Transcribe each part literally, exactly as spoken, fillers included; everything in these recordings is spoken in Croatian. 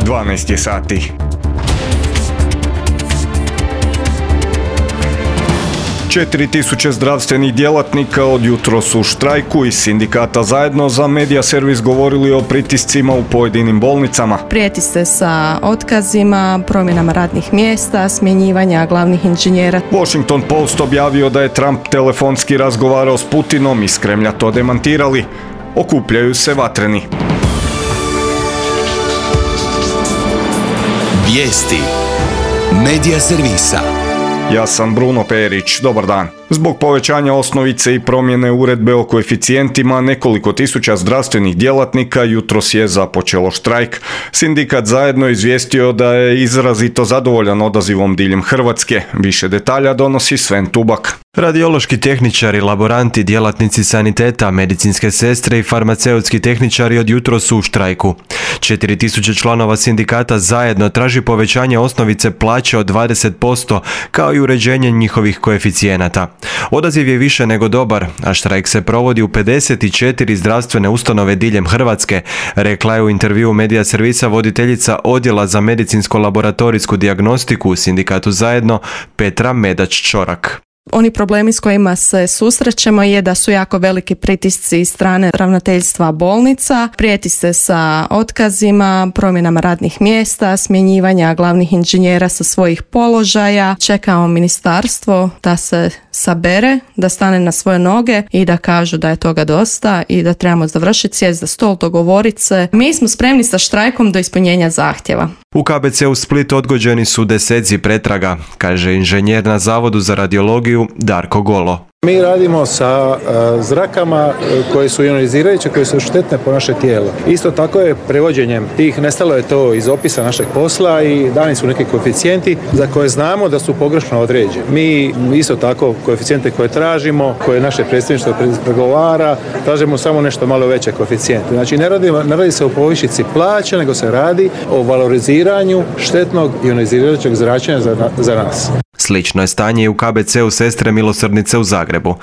dvanaest je sati. četiri tisuće zdravstvenih djelatnika od jutros u štrajku. Iz sindikata Zajedno za Medija servis govorili o pritiscima u pojedinim bolnicama. Prijeti se sa otkazima, promjenama radnih mjesta, smjenjivanja glavnih inženjera. Washington Post objavio da je Trump telefonski razgovarao s Putinom, iz Kremlja to demantirali. Okupljaju se vatreni. Vijesti Medija servisa. Ja sam Bruno Perić, dobar dan. Zbog povećanja osnovice i promjene uredbe o koeficijentima, nekoliko tisuća zdravstvenih djelatnika jutros je započelo štrajk. Sindikat Zajedno izvijestio da je izrazito zadovoljan odazivom diljem Hrvatske. Više detalja donosi Sven Tubak. Radiološki tehničari, laboranti, djelatnici saniteta, medicinske sestre i farmaceutski tehničari od jutros su u štrajku. četiri tisuće članova sindikata Zajedno traži povećanje osnovice plaće od dvadeset posto kao i uređenje njihovih koeficijenata. Odaziv je više nego dobar, a štrajk se provodi u pedeset četiri zdravstvene ustanove diljem Hrvatske, rekla je u intervjuu Medija servisa voditeljica Odjela za medicinsko-laboratorijsku dijagnostiku u sindikatu Zajedno Petra Medač-Čorak. Oni problemi s kojima se susrećemo je da su jako veliki pritisci iz strane ravnateljstva bolnica, prijeti se sa otkazima, promjenama radnih mjesta, smjenjivanja glavnih inženjera sa svojih položaja. Čekamo ministarstvo da se sabere, da stane na svoje noge i da kažu da je toga dosta i da trebamo završiti, sjest za stol, dogovoriti se. Mi smo spremni sa štrajkom do ispunjenja zahtjeva. U K B C u Split odgođeni su deseci pretraga, kaže inženjer na Zavodu za radiologiju Darko Golo. Mi radimo sa uh, zrakama koje su ionizirajuće, koje su štetne po naše tijelo. Isto tako je prevođenjem tih, nestalo je to iz opisa našeg posla i dani su neki koeficijenti za koje znamo da su pogrešno određeni. Mi isto tako koeficijente koje tražimo, koje naše predstavništvo pregovara, tražimo samo nešto malo veće koeficijente. Znači ne radi, ne radi se o povišici plaće, nego se radi o valoriziranju štetnog ionizirajućeg zračenja za, za nas. Slično je stanje i u K B C-u Sestre milosrdnice u Zagrebu.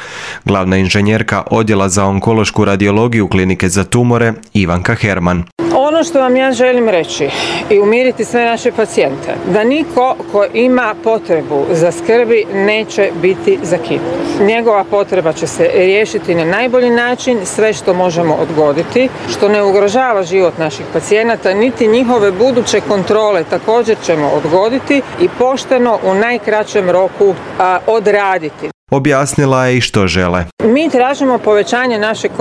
Glavna inženjerka Odjela za onkološku radiologiju Klinike za tumore Ivanka Herman. Ono što vam ja želim reći i umiriti sve naše pacijente, da niko ko ima potrebu za skrbi neće biti zakinut. Njegova potreba će se riješiti na najbolji način, sve što možemo odgoditi, što ne ugrožava život naših pacijenata, niti njihove buduće kontrole također ćemo odgoditi i pošteno u najkraćem roku a, odraditi. Objasnila je i što žele. Mi tražimo povećanje našeg,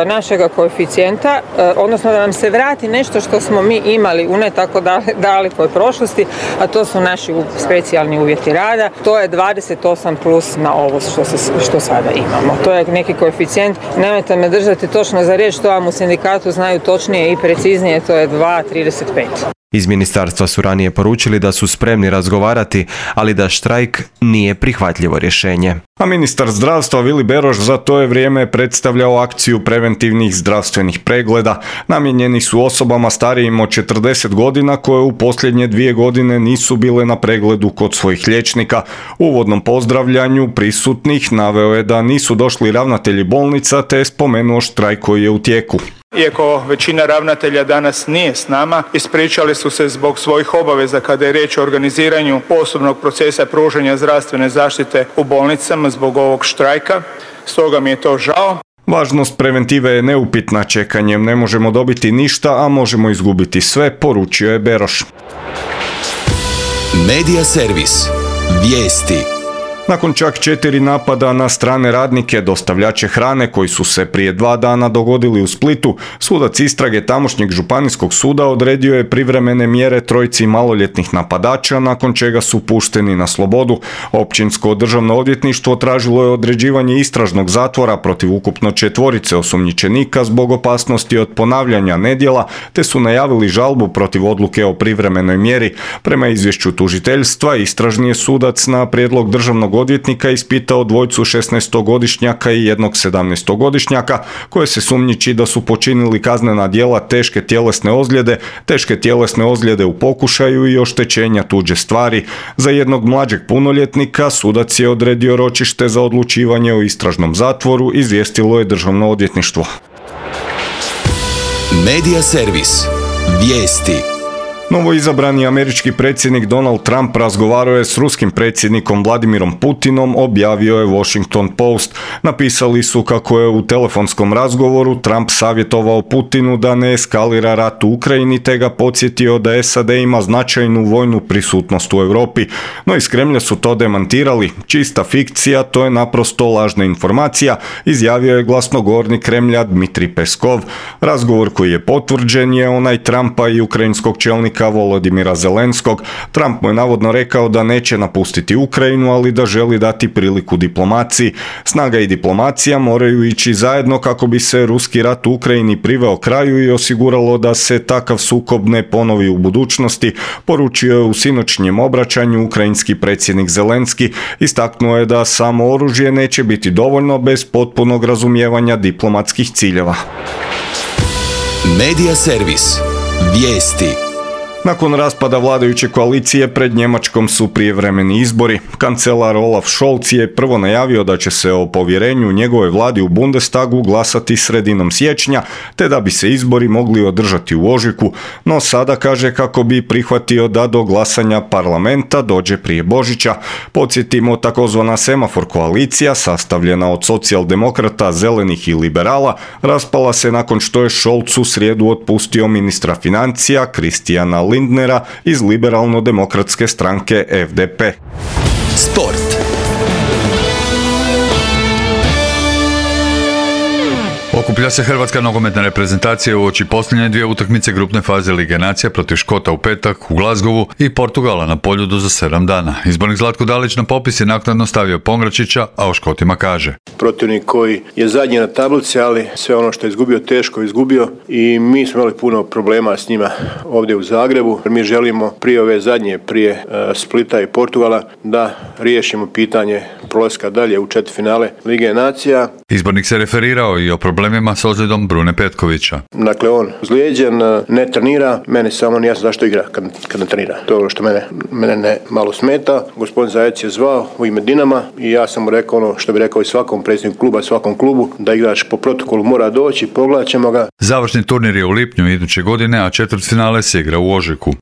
našega koeficijenta, odnosno da nam se vrati nešto što smo mi imali u ne tako dalekoj prošlosti, a to su naši specijalni uvjeti rada. To je dvadeset osam plus na ovo što, se, što sada imamo. To je neki koeficijent. Nemojte me držati točno za riječ, to vam u sindikatu znaju točnije i preciznije, to je dva zarez trideset pet. Iz ministarstva su ranije poručili da su spremni razgovarati, ali da štrajk nije prihvatljivo rješenje. A ministar zdravstva Vili Beroš za to je vrijeme predstavljao akciju preventivnih zdravstvenih pregleda. Namijenjeni su osobama starijim od četrdeset godina koje u posljednje dvije godine nisu bile na pregledu kod svojih liječnika. U uvodnom pozdravljanju prisutnih naveo je da nisu došli ravnatelji bolnica te je spomenuo štrajk koji je u tijeku. Iako većina ravnatelja danas nije s nama, ispričali su se zbog svojih obaveza kada je riječ o organiziranju posebnog procesa pružanja zdravstvene zaštite u bolnicama zbog ovog štrajka, stoga mi je to žao. Važnost preventive je neupitna, čekanjem ne možemo dobiti ništa, a možemo izgubiti sve, poručio je Beroš. Medija servis. Vijesti. Nakon čak četiri napada na strane radnike, dostavljače hrane koji su se prije dva dana dogodili u Splitu, sudac istrage tamošnjeg županijskog suda odredio je privremene mjere trojici maloljetnih napadača, nakon čega su pušteni na slobodu. Općinsko državno odvjetništvo tražilo je određivanje istražnog zatvora protiv ukupno četvorice osumnjičenika zbog opasnosti od ponavljanja nedjela, te su najavili žalbu protiv odluke o privremenoj mjeri. Prema izvješću tužiteljstva, istražni je sudac na prijedlog državnog odvjetnika ispitao dvojcu šesnaestogodišnjaka i jednog sedamnaestogodišnjaka koje se sumnjiči da su počinili kaznena djela teške tjelesne ozljede, teške tjelesne ozljede u pokušaju i oštećenja tuđe stvari. Za jednog mlađeg punoljetnika sudac je odredio ročište za odlučivanje o istražnom zatvoru, izvijestilo je državno odvjetništvo. Medija servis. Vijesti. Novoizabrani američki predsjednik Donald Trump razgovarao je s ruskim predsjednikom Vladimirom Putinom, objavio je Washington Post. Napisali su kako je u telefonskom razgovoru Trump savjetovao Putinu da ne eskalira rat u Ukrajini te ga podsjetio da S A D ima značajnu vojnu prisutnost u Europi. No iz Kremlja su to demantirali. Čista fikcija, to je naprosto lažna informacija, izjavio je glasnogovornik Kremlja Dmitrij Peskov. Razgovor koji je potvrđen je onaj Trumpa i ukrajinskog čelnika Volodimira Zelenskog. Trump mu je navodno rekao da neće napustiti Ukrajinu, ali da želi dati priliku diplomaciji. Snaga i diplomacija moraju ići zajedno kako bi se ruski rat u Ukrajini priveo kraju i osiguralo da se takav sukob ne ponovi u budućnosti, poručio je u sinoćnjem obraćanju ukrajinski predsjednik Zelenski. Istaknuo je da samo oružje neće biti dovoljno bez potpunog razumijevanja diplomatskih ciljeva. Medija servis. Vijesti. Nakon raspada vladajuće koalicije pred Njemačkom su prijevremeni izbori. Kancelar Olaf Scholz je prvo najavio da će se o povjerenju njegove vladi u Bundestagu glasati sredinom siječnja, te da bi se izbori mogli održati u ožujku, no sada kaže kako bi prihvatio da do glasanja parlamenta dođe prije Božića. Podsjetimo, takozvana semafor koalicija, sastavljena od socijaldemokrata, zelenih i liberala, raspala se nakon što je Scholz u srijedu otpustio ministra financija Kristijana Lindnera iz liberalno-demokratske stranke F D P. Sport. Okuplja se hrvatska nogometna reprezentacija uoči posljednje dvije utakmice grupne faze Lige nacija protiv Škota u petak u Glasgowu i Portugala na Poljudu za sedam dana. Izbornik Zlatko Dalić na popis je naknadno stavio Pongračića, a o Škotima kaže: protivnik koji je zadnji na tablici, ali sve ono što je izgubio teško izgubio i mi smo imali puno problema s njima ovdje u Zagrebu. Mi želimo prije ove zadnje, prije uh, Splita i Portugala, da riješimo pitanje prolaska dalje u četvrtfinale Lige nacija. Izbornik se referirao i o problemima s ozljedom Brune Petkovića. Dakle, on zlijeđen, ne trenira, meni samo nije jasno zašto igra kad, kad ne trenira. To je ono što mene, mene ne malo smeta. Gospodin Zajec je zvao u ime Dinama i ja sam mu rekao ono što bi rekao i svakom predsjedniku kluba, svakom klubu, da igrač po protokolu mora doći, pogledat ćemo ga. Završni turnir je u lipnju iduće godine, a četvrtfinale se igra u ožujku.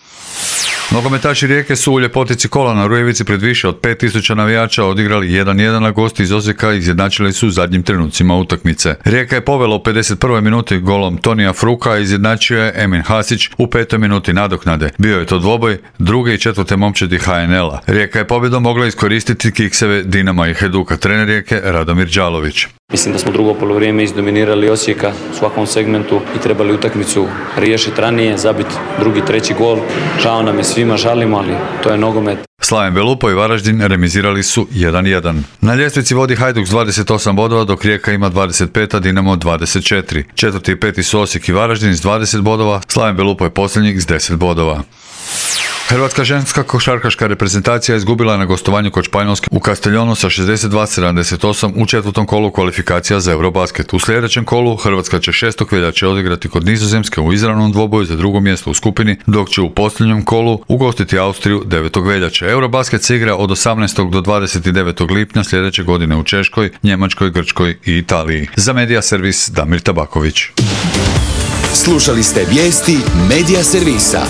Nogometaši Rijeke su u ljepotici kola na Rujevici pred više od pet tisuća navijača odigrali jedan jedan, a gosti iz Osijeka izjednačili su u zadnjim trenucima utakmice. Rijeka je povela u pedeset prvoj minuti golom Tonija Fruka, a izjednačio je Emin Hasić u petoj minuti nadoknade. Bio je to dvoboj druge i četvrte momčadi H N L-a. Rijeka je pobjedom mogla iskoristiti kikseve Dinama i Hajduka. Trener Rijeke Radomir Đalović: mislim da smo drugo polovrijeme izdominirali Osijeka u svakom segmentu i trebali utakmicu riješiti ranije, zabiti drugi, treći gol. Žao nam je svima, žalimo, ali to je nogomet. Slaven Belupo i Varaždin remizirali su jedan jedan. Na ljestvici vodi Hajduk s dvadeset osam bodova, dok Rijeka ima dvadeset pet, a Dinamo dvadeset četiri. Četvrti i peti su Osijek i Varaždin s dvadeset bodova, Slaven Belupo je posljednjih s deset bodova. Hrvatska ženska košarkaška reprezentacija izgubila na gostovanju kod Španjolske u Castellonu sa šezdeset dva sedamdeset osam u četvrtom kolu kvalifikacija za Eurobasket. U sljedećem kolu Hrvatska će šestog veljače odigrati kod Nizozemske u izravnom dvoboju za drugo mjesto u skupini, dok će u posljednjem kolu ugostiti Austriju devetog veljače. Eurobasket se igra od osamnaestog do dvadeset devetog lipnja sljedeće godine u Češkoj, Njemačkoj, Grčkoj i Italiji. Za Medija servis Damir Tabaković. Slušali ste vijesti Medija servisa.